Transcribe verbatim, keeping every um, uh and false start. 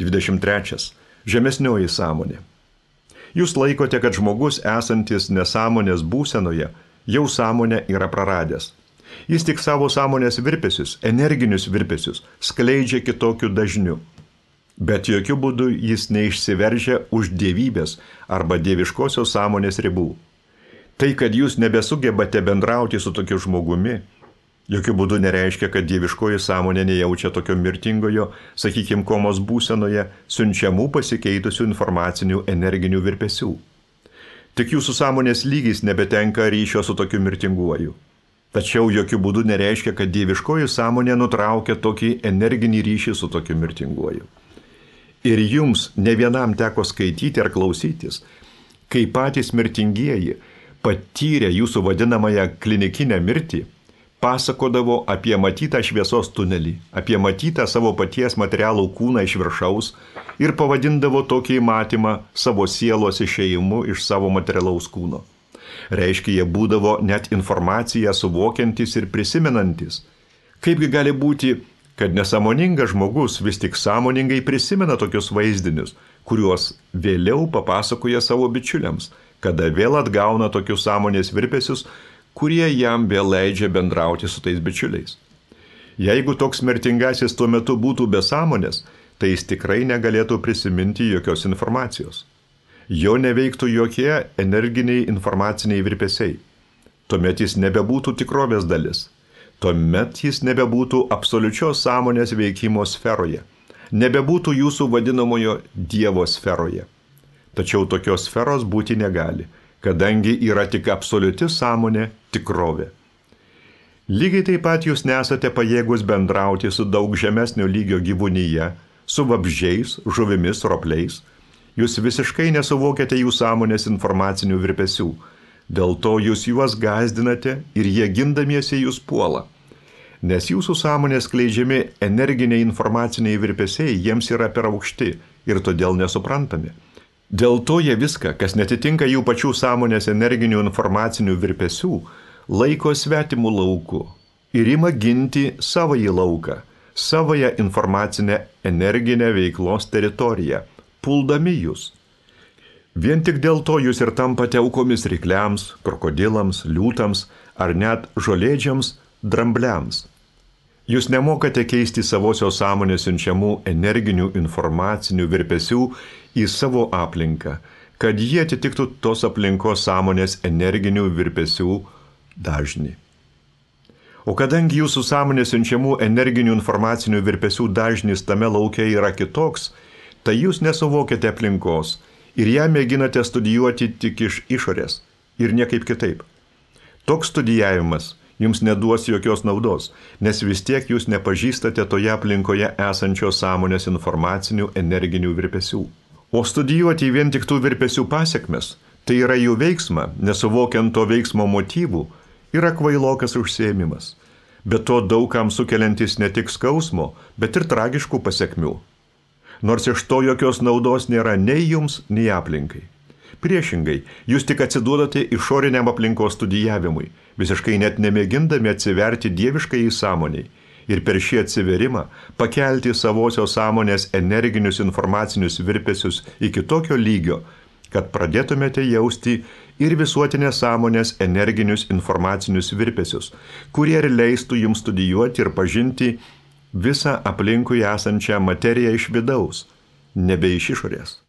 dvidešimt trečias. Žemesnioji sąmonė. Jūs laikote, kad žmogus esantis nesąmonės būsenoje jau sąmonę yra praradęs. Jis tik savo sąmonės virpesius, energinius virpesius, skleidžia kitokiu dažniu. Bet jokių būdų jis neišsiveržia už dievybės arba dieviškosios sąmonės ribų. Tai, kad jūs nebesugebate bendrauti su tokiu žmogumi, jokių būdų nereiškia, kad dieviškoji sąmonė nejaučia tokio mirtingojo, sakykime, komos būsenoje siunčiamų pasikeitusių informacinių energinių virpesių. Tik jūsų sąmonės lygis nebetenka ryšio su tokiu mirtinguoju. Tačiau jokių būdų nereiškia, kad dieviškoji sąmonė nutraukia tokį energinį ryšį su tokiu mirtinguoju. Ir jums ne vienam teko skaityti ar klausytis, kai patys mirtingieji, patyrę jūsų vadinamąją klinikinę mirtį, pasakodavo apie matytą šviesos tunelį, apie matytą savo paties materialų kūną iš viršaus ir pavadindavo tokį matymą savo sielos išėjimu iš savo materialaus kūno. Reiškia, jie būdavo net informaciją suvokiantis ir prisimenantis. Kaipgi gali būti, kad nesąmoningas žmogus vis tik sąmoningai prisimena tokius vaizdinius, kuriuos vėliau papasakoja savo bičiuliams, kada vėl atgauna tokius sąmonės virpesius, kurie jam vėl leidžia bendrauti su tais bičiuliais. Jeigu toks mirtingasis tuo metu būtų be sąmonės, tai jis tikrai negalėtų prisiminti jokios informacijos. Jo neveiktų jokie energiniai informaciniai virpesiai. Tuomet jis nebebūtų tikrovės dalis. Tuomet jis nebebūtų absoliučios sąmonės veikimo sferoje. Nebebūtų jūsų vadinamojo Dievo sferoje. Tačiau tokios sferos būti negali, kadangi yra tik absoliuti sąmonė tikrovė. Lygiai taip pat jūs nesate pajėgus bendrauti su daug žemesnio lygio gyvūnyje, su vabzdžiais, žuvimis, ropliais. Jūs visiškai nesuvokiate jų sąmonės informacinių virpesių. Dėl to jūs juos gąsdinate ir jie gindamiesi jūs puola. Nes jūsų sąmonės skleidžiami energiniai informaciniai virpesiai jiems yra per aukšti ir todėl nesuprantami. Dėl to jie viską, kas netitinka jų pačių sąmonės energinių informacinių virpesių, laiko svetimų lauku ir ima ginti savąjį lauką, savąją informacinę energinę veiklos teritoriją, puldami jūs. Vien tik dėl to jūs ir tampate aukomis rykliams, krokodilams, liūtams ar net žolėdžiams, drambliams. Jūs nemokate keisti savosios sąmonės siunčiamų energinių informacinių virpesių į savo aplinką, kad jie atitiktų tos aplinkos sąmonės energinių virpesių dažnį. O kadangi jūsų sąmonės siunčiamų energinių informacinių virpesių dažnis tame lauke yra kitoks, tai jūs nesuvokiate aplinkos ir ją mėginate studijuoti tik iš išorės ir niekaip kitaip. Toks studijavimas jums neduos jokios naudos, nes vis tiek jūs nepažįstate toje aplinkoje esančios sąmonės informacinių energinių virpesių. O studijuoti vien tik tų virpesių pasekmes, tai yra jų veiksmą, nesuvokiant to veiksmo motyvų, yra kvailokas užsiėmimas. Bet to daugam sukeliantis ne tik skausmo, bet ir tragiškų pasekmių. Nors iš to jokios naudos nėra nei jums, nei aplinkai. Priešingai, jūs tik atsiduodate išoriniam aplinkos studijavimui, visiškai net nemėgindami atsiverti dieviškai į sąmoniai ir per šį atsiverimą pakelti savosios sąmonės energinius informacinius virpesius iki tokio lygio, kad pradėtumėte jausti ir visuotinės sąmonės energinius informacinius virpesius, kurie ir leistų jums studijuoti ir pažinti visą aplinkui esančią materiją iš vidaus, nebe iš išorės.